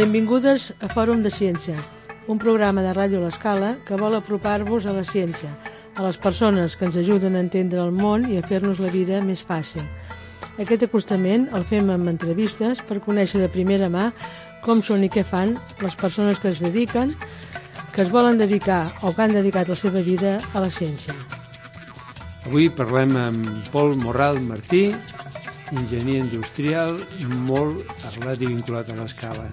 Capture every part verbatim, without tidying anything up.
Benvingudes a Fòrum de Ciència, un programa de Ràdio L'Escala que vol apropar-vos a la ciència, a les persones que ens ajuden a entendre el món i a fer-nos la vida més fàcil. Aquest acostament el fem amb entrevistes per conèixer de primera mà com són i què fan les persones que es dediquen, que es volen dedicar o que han dedicat la seva vida a la ciència. Avui parlem amb Pol Morral Martí, enginyer industrial, molt arrelat i vinculat a l'Escala.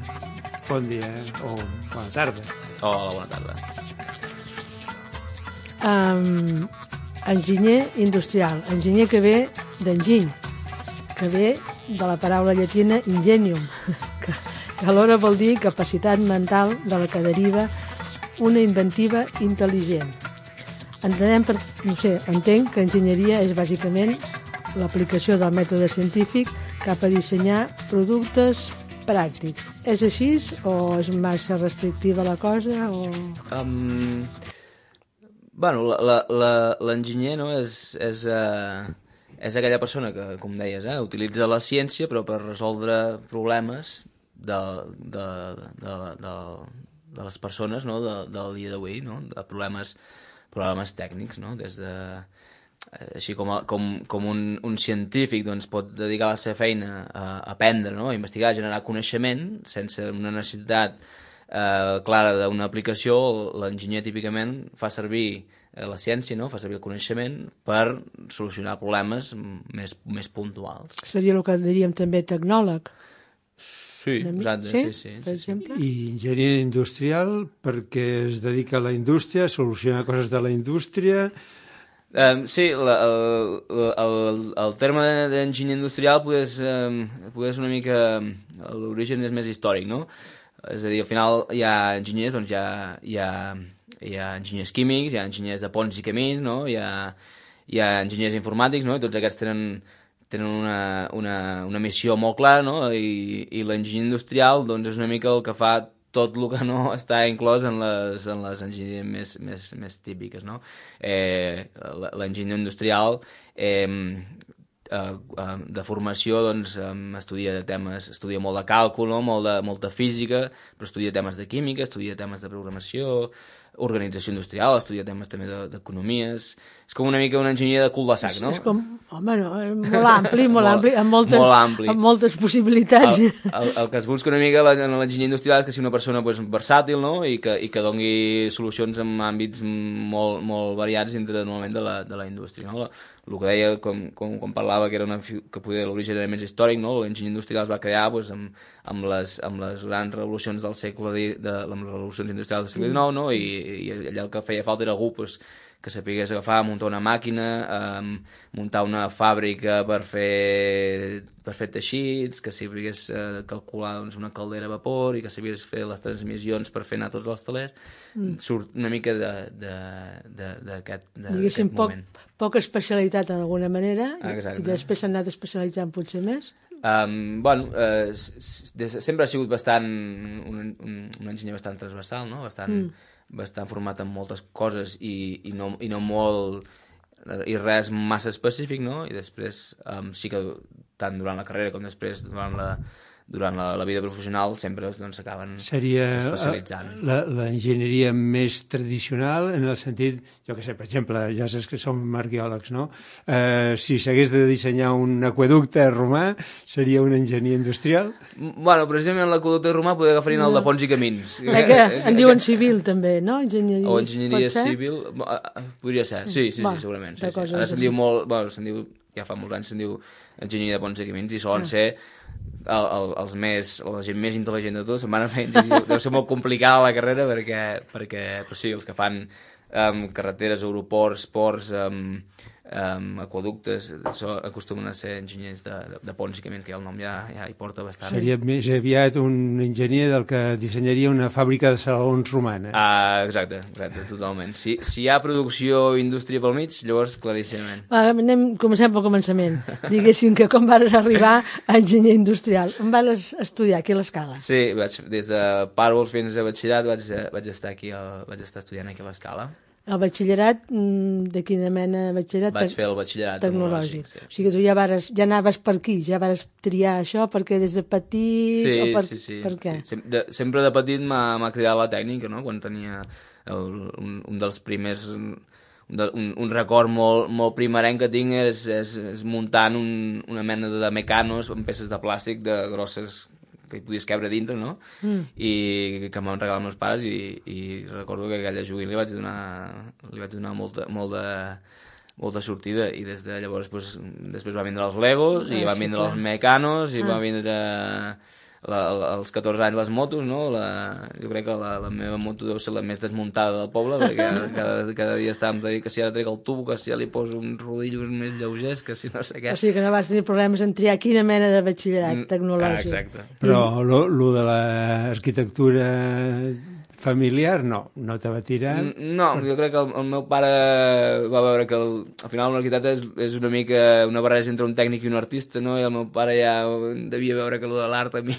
Bon dia o bona tarda. Hola, bona tarda. Um, enginyer industrial, enginyer que ve d'enginy, que ve de la paraula llatina ingenium, que, que alhora vol dir capacitat mental de la que deriva una inventiva intel·ligent. Entenem per, no sé, entenc que enginyeria és bàsicament l'aplicació del mètode científic cap a dissenyar productes pràctics. És així o és massa restrictiva la cosa? O... Um, bueno, l'enginyer no, és, és, uh, és aquella persona que, com deies, eh, utilitza la ciència però per resoldre problemes de, de, de, de, de les persones, no, de, del dia d'avui, no, de problemes, problemes tècnics, no, des de... Així com, a, com, com un, un científic doncs, pot dedicar la seva feina a, a aprendre, no? A investigar, a generar coneixement sense una necessitat eh, clara d'una aplicació, l'enginyer típicament fa servir eh, la ciència, no? Fa servir el coneixement per solucionar problemes més, més puntuals. Seria el que diríem també tecnòleg? Sí, exacte, sí, sí, sí, per sí, exemple? I enginyer industrial perquè es dedica a la indústria, a solucionar coses de la indústria... Um, sí, la, el, el, el terme d'enginyer industrial pues, um, pues una mica... L'origen és més històric, no? És a dir, al final hi ha enginyers, doncs hi ha, hi ha, hi ha enginyers químics, hi ha enginyers de ponts i camins, no? Hi ha, hi ha enginyers informàtics, no? I tots aquests tenen, tenen una, una, una missió molt clara, no? I, i l'enginyer industrial doncs, és una mica el que fa tot el que no està inclòs en les, en les enginyeries més, més, més típiques, no? Eh, l'enginyer industrial eh, eh, de formació doncs, estudia temes, estudia molt de càlcul, no? molt, de, molta física, però estudia temes de química, estudia temes de programació, organització industrial, estudia temes també d'economies... És com una mica un enginyer de cul de sac, no? És, és com, home, no, molt ampli, molt, molt ampli, amb moltes, molt ampli. Amb moltes possibilitats. El, el, el que es busca una mica en l'enginyer industrial és que sigui una persona pues, versàtil, no? I que, i que doni solucions en àmbits molt, molt variats dintre normalment de la, de la indústria, no? El que deia, com, com, com parlava, que era una, que poder l'origen era més històric, no? L'enginyer industrial es va crear pues, amb, amb, les, amb les grans revolucions del segle de, de, amb les revolucions industrials del segle dinou, no? I, i allà el que feia falta era algú pues, que sapigués agafar, muntar una màquina, eh, muntar una fàbrica per fer, per fer teixits, que sapigués eh, calcular doncs, una caldera a vapor i que sapigués fer les transmissions per fer anar tots els telers. Mm. Surt una mica d'aquest moment. Poc, poca especialitat en alguna manera, exacte. I després s'ha anat especialitzant potser més? Um, bueno, eh, sempre ha sigut bastant un, un, un enginyer bastant transversal, no? Bastant... Mm. bastant format en moltes coses i, i, no, i no molt i res massa específic, no? I després um, sí que tant durant la carrera com després durant la, durant la, la vida professional sempre s'acaben doncs, especialitzant. Seria l'enginyeria més tradicional en el sentit, jo que sé, per exemple, ja saps que som arqueòlegs, no? Eh, si s'hagués de dissenyar un aqüeducte romà, seria un enginyer industrial? Bueno, precisament l'aqüeducte romà podria agafar no. el de ponts i camins. Eh, que en diuen civil també, no? Enginyeria, o enginyeria civil, podria ser, sí, sí, sí, Va, sí segurament. Sí, sí. Ara se'n diu molt, bueno, se'n diu, ja fa molts anys se'n diu enginyeria de ponts i camins i solen ah. ser el, el, els més, la gent més intel·ligent de tots, deu ser molt complicada la carrera perquè, perquè però sí, els que fan um, carreteres, aeroports, ports, um, um, aquaductes, so, acostumen a ser enginyers de, de, de ponts i camins, que el nom ja, ja hi porta bastant. Seria més aviat un enginyer del que dissenyaria una fàbrica de salons romana. Ah, exacte, exacte, totalment. Si, si hi ha producció i indústria pel mig, llavors claríssimament. Va, anem, comencem pel començament. Diguéssim que com vas arribar a enginyer industrial? On vas estudiar aquí a l'Escala? Sí, vaig, des de pàrvols fins a batxillerat vaig, vaig estar aquí, a, vaig estar estudiant aquí a l'Escala. El batxillerat, de quina mena de batxillerat? Vaig fer el batxillerat tecnològic. tecnològic. Sí. O sigui que tu ja, vares, ja anaves per aquí, ja vares triar això perquè des de petit... Sí, o per, sí, sí. Per què? sí. Sem de, sempre de petit m'ha cridat la tècnica, no? Quan tenia el, un, un dels primers... Un, un, un record molt, molt primerenc que tinc és, és, és muntant un, una mena de mecanos amb peces de plàstic de grosses que hi podies cabre dintre, no? Mm. I que m'han regalat meus pares i, i recordo que aquella joguina li vaig donar, li vaig donar molta, molt de, molta sortida i des de llavors pues, després va vindre els Legos i ah, van sí, vindre clar. els Mecanos i ah. va vindre la, als catorze anys les motos, no? La, jo crec que la, la meva moto deu ser la més desmuntada del poble perquè cada, cada dia estàvem a dir que si ara trec el tubo, que si ja li poso uns rodillos més lleugers, que si no sé què. O sigui que no vas tenir problemes en triar quina mena de batxillerat tecnològic. Ah, exacte. Però lo, lo de l'arquitectura familiar, no, no te va tirar? No, jo crec que el, el meu pare va veure que el, al final un arquitecte és, és una mica una barreja entre un tècnic i un artista, no? I el meu pare ja devia veure que allò de l'art a mi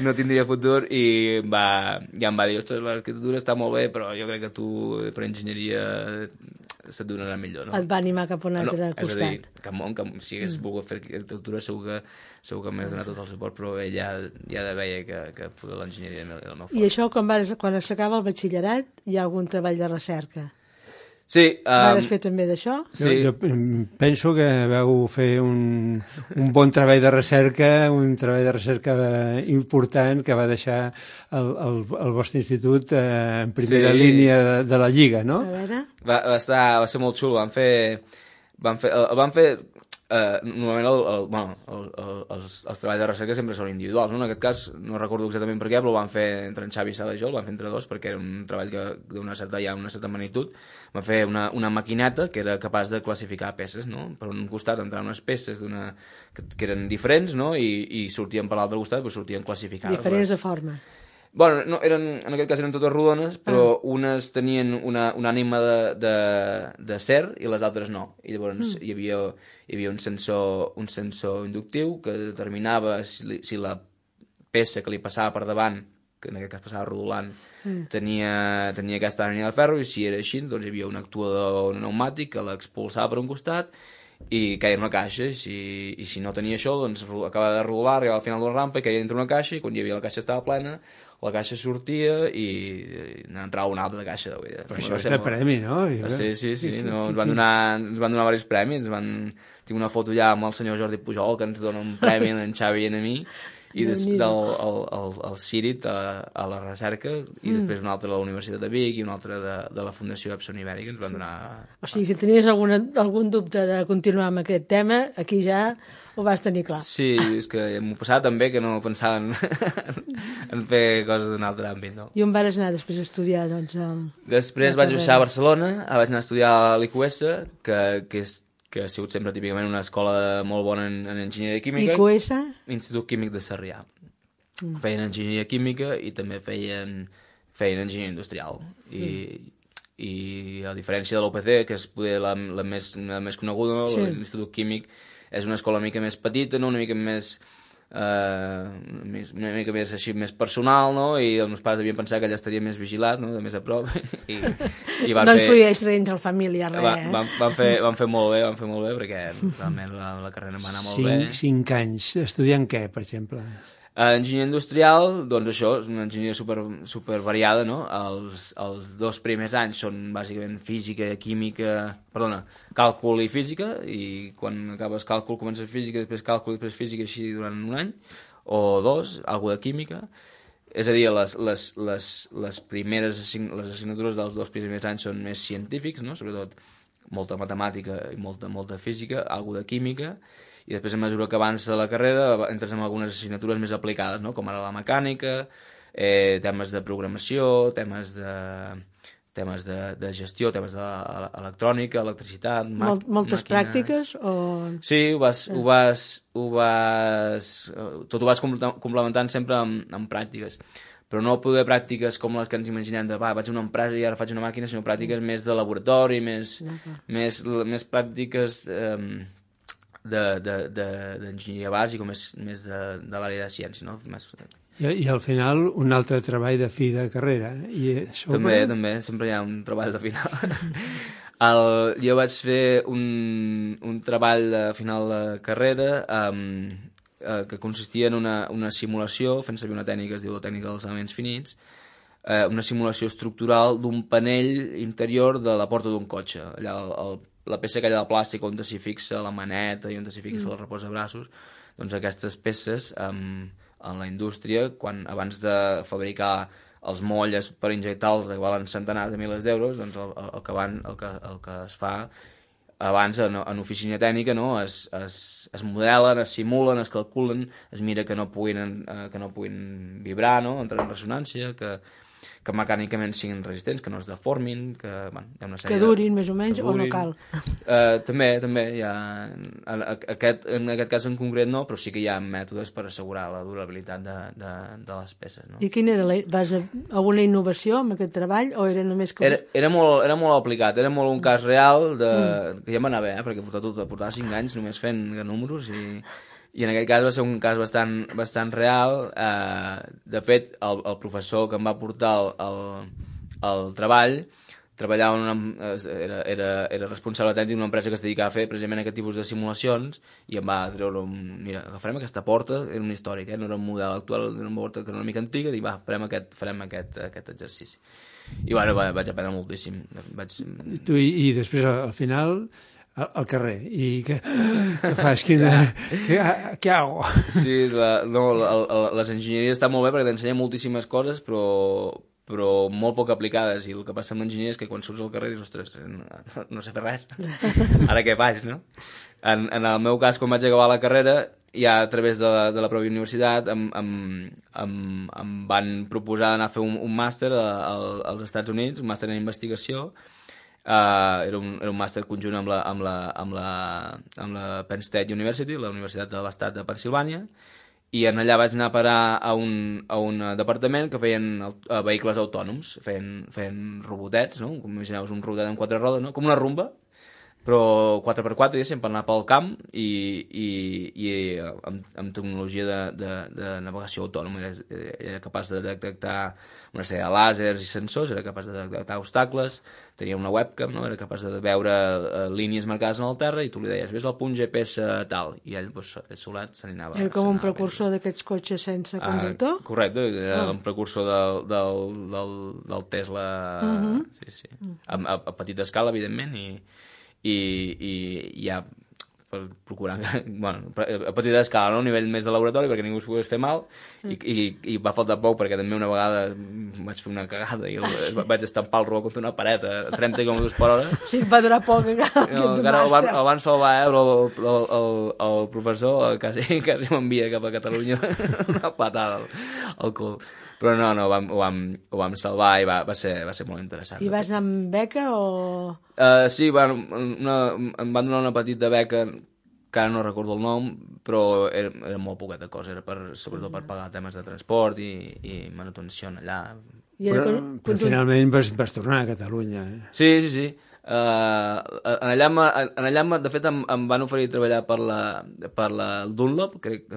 no tindria futur i va, ja em va dir, ostres, l'arquitectura està molt bé, però jo crec que tu per enginyeria se't donarà millor, no? Et va animar cap a un altre no, costat. És a dir, que, que si hagués mm. volgut fer arquitectura segur que, segur que m'hagués donat tot el suport, però ell ja, ja veia que, que l'enginyeria era el meu fort. I això, quan, vas, quan s'acaba el batxillerat, hi ha algun treball de recerca? Sí. Um, Vas fer també d'això? Sí. Jo, jo penso que vau fer un, un bon treball de recerca, un treball de recerca important que va deixar el, el, el vostre institut eh, en primera sí. línia de, de la Lliga, no? A veure... Va, va, estar, va ser molt xulo, van fer... Van fer, el, van fer Uh, normalment el, el, bueno, el, el, els, els treballs de recerca sempre són individuals, no? En aquest cas no recordo exactament per què, però ho van fer entre en Xavi Sala i jo, el van fer entre dos perquè era un treball que d'una certa, ja una certa magnitud. Van fer una, una maquineta que era capaç de classificar peces, no? Per un costat entraven unes peces d'una, que, que eren diferents, no? I, i sortien per l'altre costat, però sortien classificades. Diferents les... de forma. Bueno, no, eren, en aquest cas eren totes rodones, però ah. unes tenien una, una ànima de, de, de ser i les altres no. I llavors mm. hi havia, hi havia un, sensor, un sensor inductiu que determinava si, si la peça que li passava per davant, que en aquest cas passava rodolant, mm. tenia, tenia aquesta ànima de ferro, i si era així, doncs hi havia un actuador pneumàtic que l'expulsava per un costat i caia en una caixa, i si, i si no tenia això, doncs acabava de rodolar, arribava al final de la rampa i caia dintre una caixa, i quan hi havia la caixa estava plena, la caixa sortia i n'entrava una altra caixa. Però això és de premi, no? Sí, sí, sí. No, ens, van donar, ens van donar diversos premis. Van... Tinc una foto ja amb el senyor Jordi Pujol, que ens dona un premi en Xavi i a mi, i des, del el, el, el Círit a, a la recerca, i mm. després un altre a la Universitat de Vic i un altre de, de la Fundació Epson Ibèrica, ens van donar... O sigui, si tenies alguna, algun dubte de continuar amb aquest tema, aquí ja ho vas tenir clar. Sí, és que m'ho passava també que no pensava en, en fer coses d'un altre àmbit, no? I on vas anar després a estudiar, doncs? El... Després vaig baixar a Barcelona, vaig anar a estudiar a l'I Q S, que, que, és, que ha sigut sempre típicament una escola molt bona en, en enginyeria química. I Q S? Institut Químic de Sarrià. Mm. Feien enginyeria química i també feien, feien enginyeria industrial. I... Mm. i a diferència de l'U P C, que és poder la, la, més, la més coneguda, no? Sí. L'Institut Químic és una escola una mica més petita, no? Una mica més, uh, més una mica més així més personal, no? I els meus pares devien pensar que allà estaria més vigilat, no? De més a prop. I, i van no fer... influeix gens el família, res, va, eh? Van, van, fer, van fer molt bé, van fer molt bé, perquè realment la, la carrera em va anar molt cinc, bé. Cinc anys. Estudiant què, per exemple? Uh, enginyeria industrial, doncs això, és una enginyeria super, super variada, no? Els, els dos primers anys són bàsicament física, química, perdona, càlcul i física, i quan acabes càlcul comences física, després càlcul, després física, així durant un any, o dos, alguna de química. És a dir, les, les, les, les primeres assign les assignatures dels dos primers anys són més científics, no? Sobretot molta matemàtica i molta, molta física, alguna de química, i després a mesura que avança la carrera entres en algunes assignatures més aplicades, no? Com ara la mecànica, eh, temes de programació, temes de, temes de, de gestió, temes d'electrònica, electricitat, Mol, moltes màquines. Pràctiques? O... Sí, ho vas, ho vas, ho vas, tot ho vas complementant sempre amb, amb pràctiques, però no poder pràctiques com les que ens imaginem de va, vaig a una empresa i ara faig una màquina, sinó pràctiques més de laboratori, més, més, més pràctiques... Eh, d'enginyeria bàsica o més, més de, de l'àrea de ciència, no? Més... I, I al final un altre treball de fi de carrera. I sobre... També, també, sempre hi ha un treball de final. El, jo vaig fer un, un treball de final de carrera um, eh, que consistia en una, una simulació, fent servir una tècnica que es diu la tècnica dels elements finits, eh, una simulació estructural d'un panell interior de la porta d'un cotxe. Allà el, el, la peça aquella de plàstic on s'hi fixa la maneta i on s'hi fixa mm. el reposabraços, doncs aquestes peces um, en la indústria, quan abans de fabricar els molles per injectar-los que valen centenars de milers d'euros, doncs el, el, el, que van, el, que, el que es fa abans en, en oficina tècnica, no? es, es, es modelen, es simulen, es calculen, es mira que no puguin, eh, que no puguin vibrar, no? Entrar en ressonància, que, que mecànicament siguin resistents, que no es deformin, que, bueno, hi ha una sèrie que durin més o menys, o no cal. Uh, també, també hi ha... Aquest, en aquest cas en concret no, però sí que hi ha mètodes per assegurar la durabilitat de, de, de les peces. No? I quina era la, vas a, alguna innovació amb aquest treball o era només com... Era, era, molt, era molt aplicat, era molt un cas real de, mm. que ja m'anava bé, eh, perquè portava, tot, portava cinc anys només fent números i... I en aquest cas va ser un cas bastant, bastant real. Eh, de fet, el, el professor que em va portar el, el, el treball treballava en una, era, era, era responsable tècnic d'una empresa que es dedicava a fer precisament aquest tipus de simulacions i em va treure un... Mira, agafarem aquesta porta, era un històric, eh? No era un model actual, era una porta que era una mica antiga, i va, farem aquest, farem aquest, aquest exercici. I bueno, va, vaig aprendre moltíssim. Vaig... I, tu, i, i després, al final... al carrer, i què, què fas? Quina, què, què hago? Sí, la, no, la, la, les enginyeries estan molt bé perquè t'ensenyen moltíssimes coses, però, però molt poc aplicades, i el que passa amb l'enginyeria és que quan surts al carrer dius, ostres, no, no sé fer res, ara què faig, no? En, en el meu cas, quan vaig acabar la carrera, ja a través de la, de la pròpia universitat em, em, em, em van proposar d'anar a fer un, un màster a, a, als Estats Units, un màster en investigació. Uh, era un, era un màster conjunt amb la, amb, la, amb, la, amb la Penn State University, la Universitat de l'Estat de Pennsilvània, i en allà vaig anar a parar a un, a un departament que feien uh, vehicles autònoms, feien, feien robotets, no? Com imagineu, un robotet amb quatre rodes, no? Com una rumba, però quatre per quatre, diguéssim, per anar pel camp i, i, i amb, amb tecnologia de, de, de navegació autònoma. Era, era capaç de detectar una sèrie de làsers i sensors, era capaç de detectar obstacles, tenia una webcam, no? Era capaç de veure uh, línies marcades en el terra i tu li deies, ves al punt G P S tal, i ell, doncs, ell solat se n'anava. Era com un precursor d'aquests cotxes sense conductor? Ah, correcte, era oh. un precursor del, del, del, del Tesla, uh -huh. sí, sí, a, a, a petita escala, evidentment, i i, i ja per procurar, bueno, a petita escala, no? A nivell més de laboratori, perquè ningú es pogués fer mal, i, i, i va faltar poc, perquè també una vegada vaig fer una cagada i el, vaig estampar el robot contra una paret a trenta quilòmetres per hora. Sí, va durar poc encara. No, encara el van, el van salvar, eh, però el, el, el, el professor quasi, quasi m'envia cap a Catalunya una patada al, al cul. Però no, no, ho vam, ho vam, ho vam salvar i va, va, ser, va ser molt interessant. I vas anar amb beca o...? Uh, sí, bueno, una, em van donar una petita beca, que ara no recordo el nom, però era, era molt poqueta cosa, era per, sobretot per pagar temes de transport i, i manutenció allà. I però, però, però finalment vas, vas tornar a Catalunya. Eh? Sí, sí, sí. Uh, en allà, en allà de fet em, em van oferir treballar per la, per la Dunlop, crec,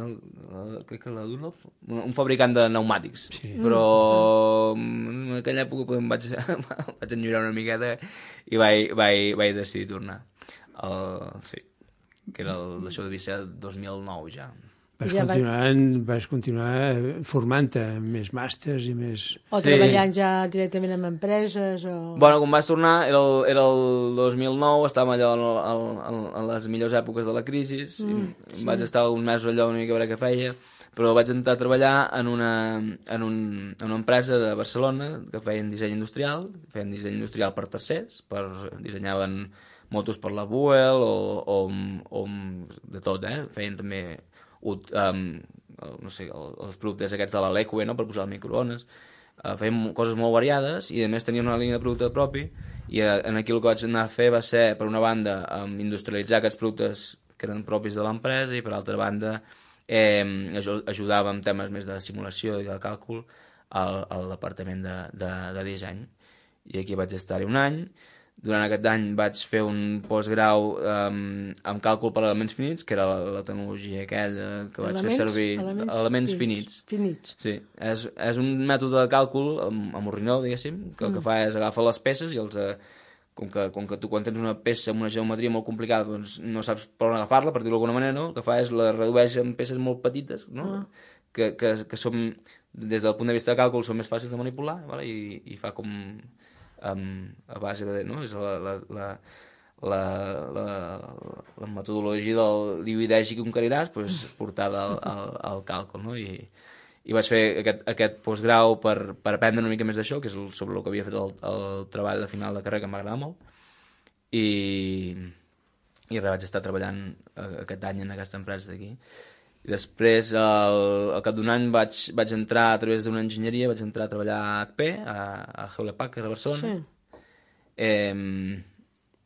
crec que la Dunlop, un fabricant de pneumàtics, sí. Però en aquella època em vaig, vaig enllorar una miqueta i vaig, vaig, vaig decidir tornar. El, sí, que era el, això devia ser el dos mil nou ja. Vas continuar, vas continuar formant-te més màsters i més... O sí. Treballant ja directament amb empreses o... Bueno, quan vaig tornar, era el, era el dos mil nou, estàvem allò en, en, en les millors èpoques de la crisi, mm, sí. Vaig estar uns mesos allò una mica a veure què feia, però vaig entrar a treballar en una, en un, en una empresa de Barcelona que feien disseny industrial, feien disseny industrial per tercers, per, dissenyaven motos per la Buell o, o, o de tot, eh? Feien també... Um, no sé, els productes aquests de la Leque, no? Per posar al microones, uh, fèiem coses molt variades i a més teníem una línia de producte propi i uh, en aquí el que vaig anar a fer va ser, per una banda, um, industrialitzar aquests productes que eren propis de l'empresa i per altra banda eh, ajudava amb temes més de simulació i de càlcul al, al departament de, de, de disseny, i aquí vaig estar-hi un any. durant aquest any vaig fer un postgrau um, amb càlcul per elements finits, que era la, la tecnologia aquella que vaig elements, fer servir. Elements, elements finits. Finits. Sí, és, és un mètode de càlcul amb, amb ordinador, diguéssim, que el mm. que fa és agafar les peces i els... Eh, com, que, com que tu quan tens una peça amb una geometria molt complicada doncs no saps per on agafar-la, per dir-ho d'alguna manera, no? El que fa és la redueix en peces molt petites, no? Mm. que, que, que som, des del punt de vista de càlcul, són més fàcils de manipular, vale? I, i fa com... Um, a base de... No? És la, la, la, la, la, la metodologia del divideix i conqueriràs pues, portada al, al, al càlcul, no? I, i vaig fer aquest, aquest postgrau per, per aprendre una mica més d'això, que és el, sobre el que havia fet el, el treball de final de carrera, que m'agrada molt, i, i res, vaig estar treballant aquest any en aquesta empresa d'aquí. I després, al, al cap d'un any, vaig, vaig entrar a través d'una enginyeria, vaig entrar a treballar a H P, a, a Hewlett Packard, a Barcelona, sí. eh,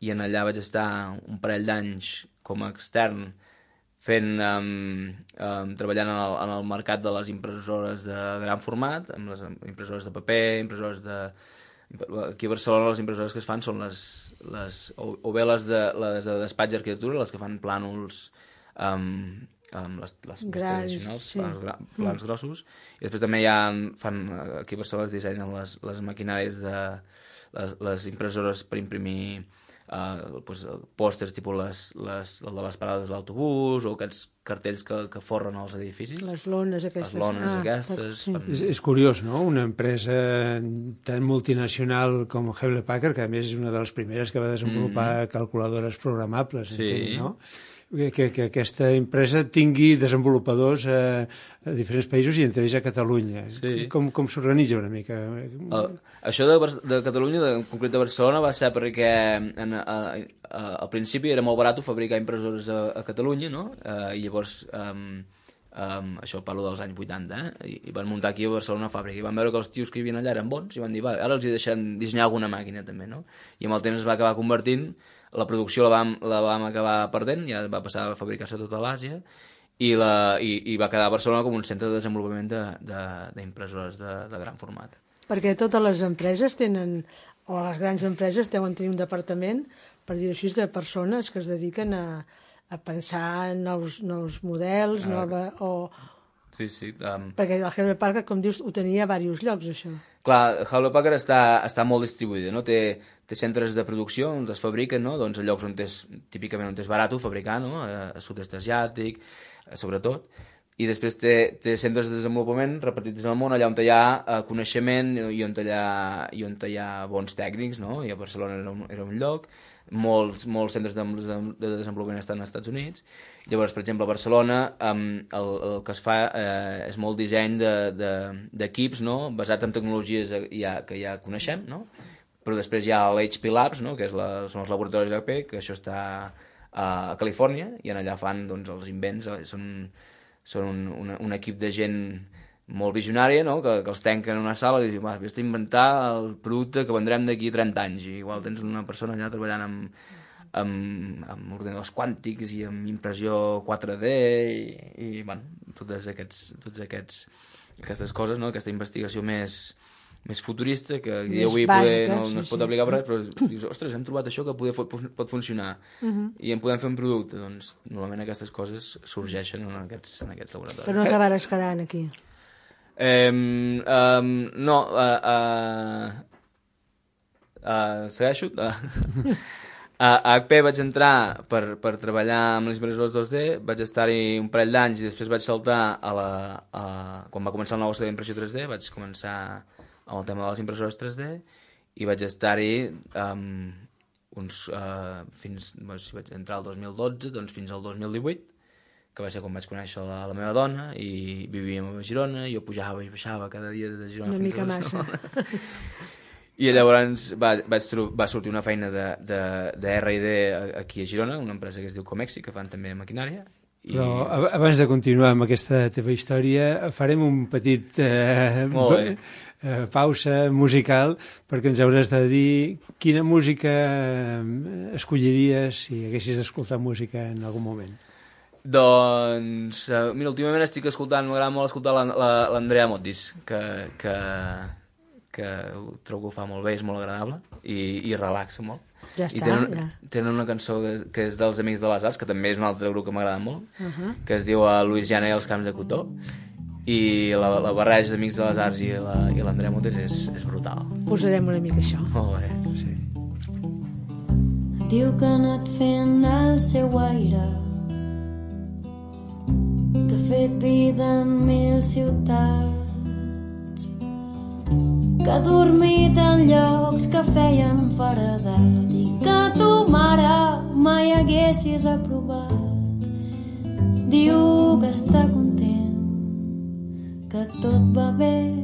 i en allà vaig estar un parell d'anys com a extern, fent, um, um, treballant en el, en el mercat de les impressores de gran format, amb les impressores de paper, impressores de... Aquí a Barcelona les impressores que es fan són les... les o, o bé les de, les de despatx d'arquitectura, les que fan plànols um, um, les, les més tradicionals, sí. plans, plans mm. grossos, i després també ja fan, aquí a Barcelona es dissenyen les, les maquinàries de... les, les impressores per imprimir Uh, pues, pòsters tipus les, les, el de les parades de l'autobús o aquests cartells que, que forren als edificis. Les lones aquestes. Les lones ah, aquestes. Sí. Fan... És, és curiós, no?, una empresa tan multinacional com Hewlett Packard, que a més és una de les primeres que va desenvolupar mm. calculadores programables, sí. entenc, no? Que, que aquesta empresa tingui desenvolupadors a, a diferents països i entre ells a Catalunya. Sí. Com, com s'organitza una mica? Uh, això de, de Catalunya, de, en concret de Barcelona, va ser perquè en, a, a, al principi era molt barat fabricar impressores a, a Catalunya, no? Uh, I llavors, um, um, això parlo dels anys vuitanta, eh? I, i van muntar aquí a Barcelona una fàbrica. I van veure que els tios que hi havia allà eren bons i van dir, va, ara els hi deixem dissenyar alguna màquina també, no? I amb el temps es va acabar convertint. La producció la vam, la vam acabar perdent, ja va passar a fabricar-se a tota l'Àsia, i, la, i, i va quedar a Barcelona com un centre de desenvolupament d'impressores de, de, de, de gran format. Perquè totes les empreses tenen, o les grans empreses deuen tenir un departament, per dir-ho així, de persones que es dediquen a, a pensar en nous, nous models, ah, nova, o... Sí, sí. Um... Perquè el Hewlett Packard, com dius, ho tenia a diversos llocs, això. Clar, Hewlett Packard està, està molt distribuïda, no? Té, té centres de producció on es fabriquen, no? Doncs a llocs on és, típicament on és barat fabricar, no? A, a sud-est asiàtic, sobretot. I després té, té centres de desenvolupament repartits en el món, allà on hi ha uh, coneixement i on hi ha, i on hi ha bons tècnics, no? I a Barcelona era un, era un lloc. Molts, molts centres de, de, de desenvolupament estan als Estats Units. Llavors, per exemple, a Barcelona um, el, el que es fa eh, és molt disseny d'equips, de, de, no? Basats en tecnologies ja, que ja coneixem, no? Però després hi ha l'H P Labs, no? Que és la, són els laboratoris H P, que això està a Califòrnia, i en allà fan doncs, els invents. Són, són un, un, un equip de gent molt visionària, no? que, que els tanquen en una sala i diuen, va, vés a inventar el producte que vendrem d'aquí trenta anys, i igual tens una persona allà treballant amb, amb, amb ordenadors quàntics i amb impressió quatre D i, i bueno, totes, aquests, totes aquests, aquestes coses, no? Aquesta investigació més, més futurista que més avui bàsica, poder, no, no es pot sí, aplicar per res, però dius, ostres, hem trobat això que poder, pot funcionar uh-huh. i en podem fer un producte. Doncs normalment aquestes coses sorgeixen en aquests, en aquests laboratoris. Però no acabaràs quedant aquí. Um, um, no, uh, uh, uh, segueixo. Uh, a H P vaig entrar per, per treballar amb les impressores dos D, vaig estar-hi un parell d'anys i després vaig saltar a la, a, quan va començar el negoci d'impressió tres D, vaig començar amb el tema de les impressores tres D i vaig estar-hi um, uns, uh, fins, doncs, si vaig entrar el dos mil dotze, doncs fins al dos mil divuit, que va ser quan vaig conèixer la, la meva dona i vivíem a Girona, jo pujava i baixava cada dia de Girona una fins mica a Barcelona. Massa. I llavors va, vaig, va sortir una feina de, de, de R i D aquí a Girona, una empresa que es diu Comexi, que fan també maquinària. I... Però abans de continuar amb aquesta teva història, farem un petit eh, eh, pausa musical, perquè ens hauràs de dir quina música escolliries si haguessis d'escoltar música en algun moment. Doncs, uh, mira, últimament estic escoltant, m'agrada molt escoltar l'Andrea Motis, que, que, que trobo que ho fa molt bé, és molt agradable i, i relaxa molt. Ja I està, tenen, ja. tenen una cançó que, que és dels Amics de les Arts, que també és un altre grup que m'agrada molt, Uh -huh. que es diu a Louisiana i els Camps de Cotó, i la, la barreja d'Amics de les Arts i la- i l'Andrea Montes és, és brutal. Posarem una mica això. Molt bé. Sí. Diu que ha anat fent el seu aire, que ha fet vida en mil ciutats, que ha dormit en llocs que feien feredat i que tu, mare, mai haguessis aprovat. Diu que està content, que tot va bé.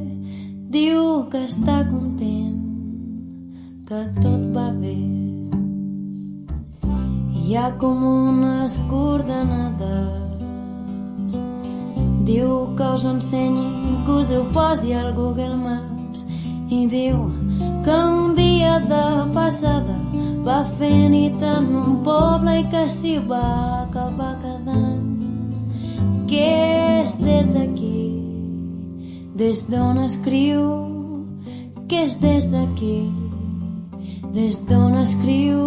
Diu que està content, que tot va bé. Hi ha com unes coordenades. Diu que us ho ensenyi, que us ho posi al Google Maps. I diu que un dia de passada va fer nit en un poble i que s'hi va acabar quedant. Que és des d'aquí, des d'on escriu, que és des d'aquí, des d'on escriu.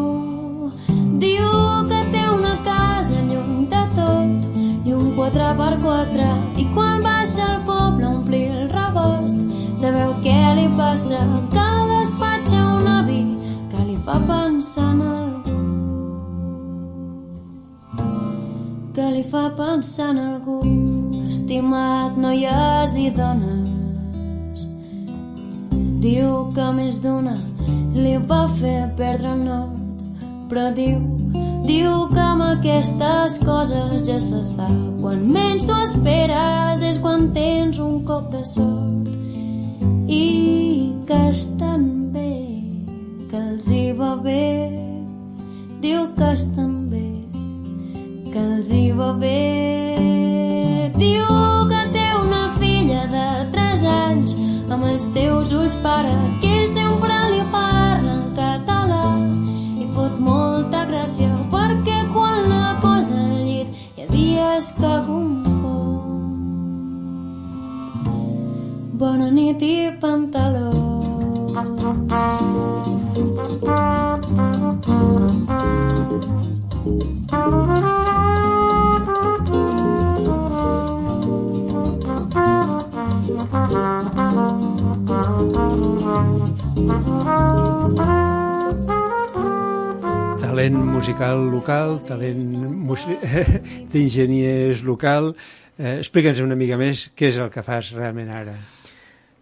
Diu que té una casa lluny de tot i un quatre per quatre, i quan baixa al poble a omplir el rebost, sabeu què li passa? Que despatxa un avi que li fa pensar en algú, que li fa pensar en algú. Estimat, noies i dones, diu que més d'una li va fer perdre el nord, però diu, diu que amb aquestes coses ja se sap. Quan menys t'ho esperes és quan tens un cop de sort, i que estan bé, que els hi va bé. Diu que estan bé, que els hi va bé. Diu que té una filla de tres anys amb els teus ulls, pare, que ell sempre li parla en català i fot molta gràcia perquè quan la posa al llit hi ha dies que confon. Bona nit i pantalons. Talent musical local, talent musi- d'enginyers local. Eh, Explica'ns una mica més què és el que fas realment ara.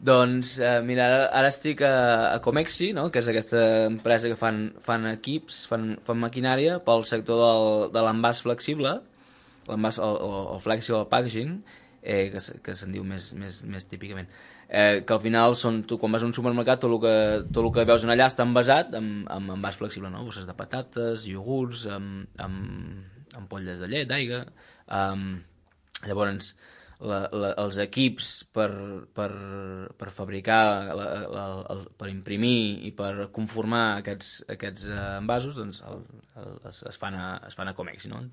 Doncs, eh, mira, ara, ara estic a, a Comexi, no? Que és aquesta empresa que fan, fan equips, fan, fan maquinària pel sector del, de l'envàs flexible, l'envàs, el, el, el flexible packaging, eh, que, se- que se'n diu més, més, més típicament. Eh, que al final, són, tu, quan vas a un supermercat, tot el que, tot el que veus en allà està envasat amb, amb envàs flexible, no? Bosses de patates, iogurts, amb, amb, amb polles de llet, d'aigua. Um, llavors, la, la, els equips per, per, per fabricar, la, la, el, per imprimir i per conformar aquests, aquests uh, envasos, doncs el, el, es, es, fan a, es fan a Comexi, no?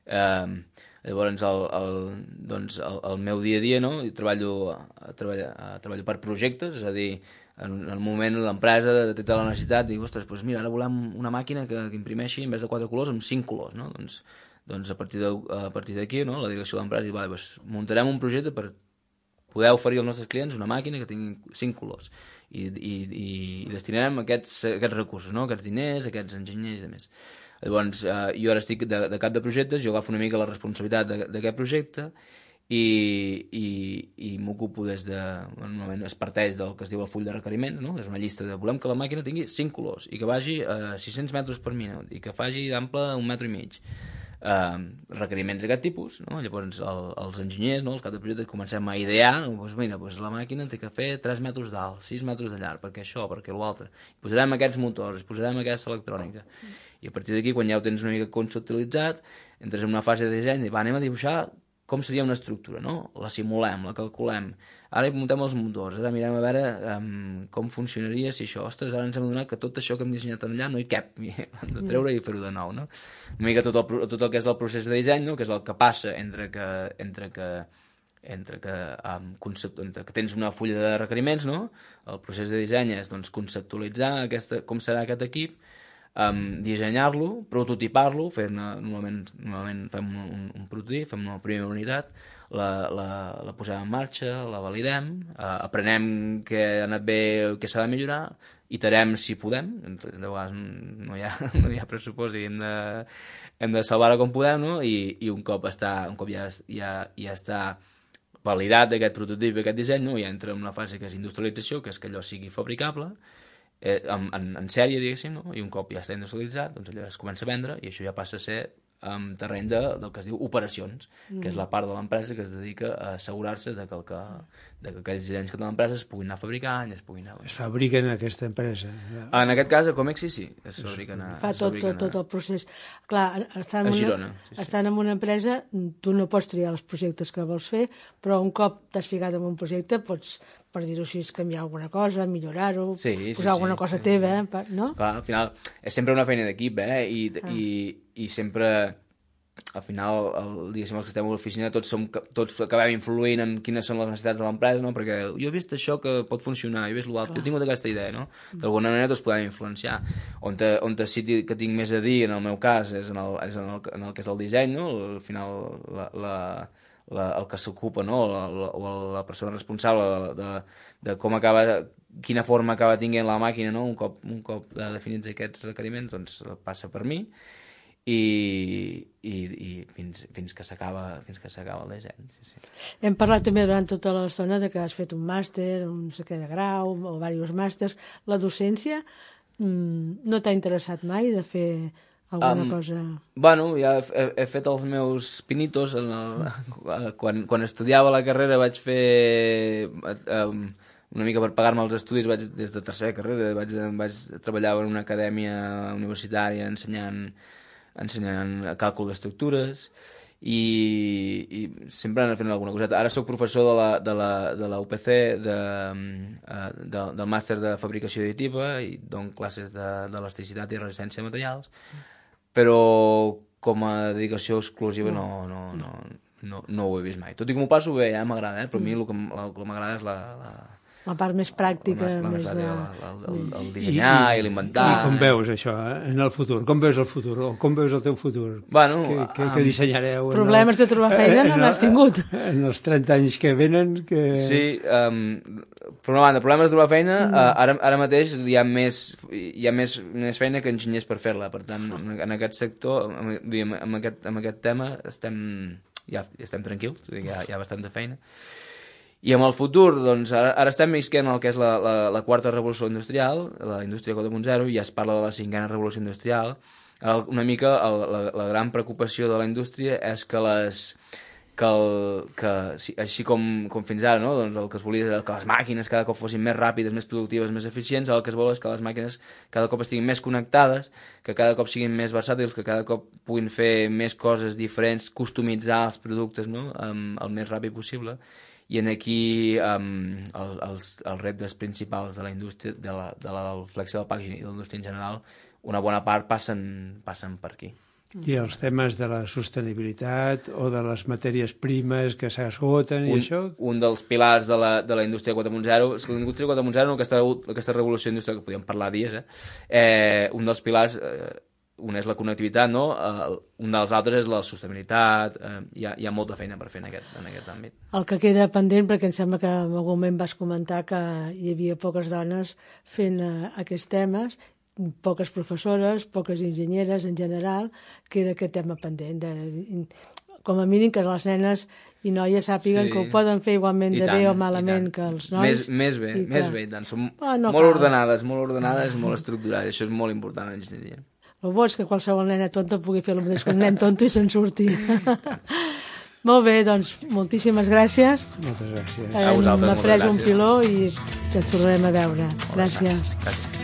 Eh, llavors el, el, doncs el, el meu dia a dia, no? Jo treballo, treballo, treballo per projectes, és a dir, en el moment l'empresa té tota la necessitat, diu, ostres, doncs mira, ara volem una màquina que, que imprimeixi en vez de quatre colors amb cinc colors, no? Doncs, doncs a partir de, a partir d'aquí, no? La direcció de l'empresa diu, vale, doncs muntarem un projecte per poder oferir als nostres clients una màquina que tingui cinc colors i, i, i, i destinarem aquests, aquests recursos, no? Aquests diners, aquests enginyers i demés. Llavors, eh, jo ara estic de, de cap de projectes, jo agafo una mica la responsabilitat d'aquest projecte i, i, i m'ocupo des de... Normalment es parteix del que es diu el full de requeriment, no? És una llista de volem que la màquina tingui cinc colors i que vagi a sis-cents metres per minut i que faci d'ample un metre i mig. Uh, requeriments d'aquest tipus, no? Llavors el, els enginyers, no? Els cap de projecte comencem a idear, no? Pues mira, pues la màquina té que fer tres metres d'alt, sis metres de llarg, perquè això, perquè l'altre. Posarem aquests motors, posarem aquesta electrònica. I a partir d'aquí, quan ja ho tens una mica conceptualitzat, entres en una fase de disseny i va, anem a dibuixar com seria una estructura, no? La simulem, la calculem, ara hi muntem els motors, ara mirem a veure um, com funcionaria si això, ostres, ara ens hem adonat que tot això que hem dissenyat allà no hi cap, hem de treure i fer-ho de nou, no? Una mica tot el, tot el que és el procés de disseny, no? Que és el que passa entre que, entre que entre que, um, concept, entre que tens una fulla de requeriments, no? El procés de disseny és doncs, conceptualitzar aquesta, com serà aquest equip, um, dissenyar-lo, prototipar-lo, normalment, normalment fem un, un, un prototip, fem una primera unitat, la, la, la posem en marxa, la validem, uh, aprenem què ha anat bé, què s'ha de millorar, iterem si podem, de vegades no hi ha, no hi ha pressupost i hem de, hem de salvar-ho com podem, no? I, i un cop, està, un cop ja, ja, ja està validat aquest prototip, aquest disseny, no? Ja entra en una fase que és industrialització, que és que allò sigui fabricable, eh, en, en, en sèrie, diguéssim, no? I un cop ja està industrialitzat, doncs allò es comença a vendre i això ja passa a ser en terreny de, del que es diu operacions, mm. que és la part de l'empresa que es dedica a assegurar-se de que, el que, de que aquells dissenys que té l'empresa es puguin anar fabricant i es puguin anar... Es fabriquen en aquesta empresa. En aquest cas, a Comexi sí, es fabriquen a... Fa tot, tot, tot el procés. Clar, estan en, a Girona, una, sí, sí. estan en una empresa, tu no pots triar els projectes que vols fer, però un cop t'has ficat en un projecte pots, per dir-ho així, canviar alguna cosa, millorar-ho, sí, sí, posar sí, alguna cosa sí, teva, sí. no? Clar, al final, és sempre una feina d'equip, eh? I, ah. i, i sempre... al final, el, diguéssim, els que estem a l'oficina tots, som, tots acabem influint en quines són les necessitats de l'empresa, no? Perquè jo he vist això que pot funcionar, jo he vist l'altre, jo he tingut aquesta idea, no? D'alguna manera tots podem influenciar. On, te, on te sí que tinc més a dir, en el meu cas, és en el, és en el, en el que és el disseny, no? Al final, la, la, la, el que s'ocupa, no? La, la, o la persona responsable de, de, de com acaba, quina forma acaba tinguent la màquina, no? Un cop, un cop definits aquests requeriments, doncs passa per mi. i, i, i fins, fins que s'acaba fins que s'acaba el disseny. Sí, sí. Hem parlat també durant tota l'estona de que has fet un màster, un no sé què de grau o diversos màsters. La docència mmm, no t'ha interessat mai de fer alguna um, cosa? Bueno, ja he, he fet els meus pinitos en el, quan, quan estudiava la carrera vaig fer um, una mica per pagar-me els estudis, vaig, des de tercera carrera vaig, vaig treballar en una acadèmia universitària ensenyant ensenyant càlcul d'estructures i, i sempre anant fent alguna coseta. Ara soc professor de la, de la, de la U P C, de, de, del màster de fabricació additiva i dono classes d'elasticitat i resistència de materials, però com a dedicació exclusiva no, no, no, no, no ho he vist mai. Tot i que m'ho passo bé, ja m'agrada, eh? Però a mi el que, el que m'agrada és la... la la part més pràctica, la més, més la, de... el, el, el dissenyar i, i l'inventar. I com veus això, eh? En el futur? Com veus el futur? O com veus el teu futur? Bueno, què, què, què dissenyareu? Problemes el, de trobar feina no n'has tingut. En els trenta anys que venen... Que... Sí, um, per una banda, problemes de trobar feina, mm. uh, ara, ara mateix hi ha, més, hi ha més, més feina que enginyers per fer-la. Per tant, en, en aquest sector, en, en, aquest, en aquest tema, estem, ja, estem tranquils, hi ha, hi ha bastanta feina. I amb el futur, doncs, ara, ara estem visquent el que és la, la, la quarta revolució industrial, la indústria quatre punt zero, i ja es parla de la cinquena revolució industrial. El, una mica el, la, la gran preocupació de la indústria és que les... que, el, que així com, com fins ara, no? Doncs el que es volia era que les màquines cada cop fossin més ràpides, més productives, més eficients, el que es vol és que les màquines cada cop estiguin més connectades, que cada cop siguin més versàtils, que cada cop puguin fer més coses diferents, customitzar els productes, no? um, el més ràpid possible. I en aquí um, el, els, els reptes principals de la indústria, de la, de la del flexible packaging i de la indústria en general, una bona part passen, passen per aquí. I els temes de la sostenibilitat o de les matèries primes que s'esgoten i un, això? Un dels pilars de la, de la indústria quatre punt zero, és que la indústria quatre punt zero, aquesta, aquesta revolució industrial, que podríem parlar dies, eh? Eh, un dels pilars... Eh, un és la connectivitat, no? Uh, un dels altres és la sostenibilitat. Uh, hi, ha, hi ha molta feina per fer en aquest, en aquest àmbit. El que queda pendent, perquè em sembla que en algun moment vas comentar que hi havia poques dones fent uh, aquests temes, poques professores, poques enginyeres en general, queda aquest tema pendent. De, com a mínim que les nenes i noies sàpiguen sí. que ho poden fer igualment I de tant, bé o malament que els nois. Més, més bé, més bé. Tant. Som oh, no molt cal. ordenades, molt ordenades, molt estructurades. Això és molt important en enginyeria. El bo és que qualsevol nena tonta pugui fer el mateix que un nen tonto i se'n surti. Molt bé, doncs, moltíssimes gràcies. Moltes gràcies. A vosaltres, Hem après un piló i ens tornarem a veure. Gràcies. Gràcies.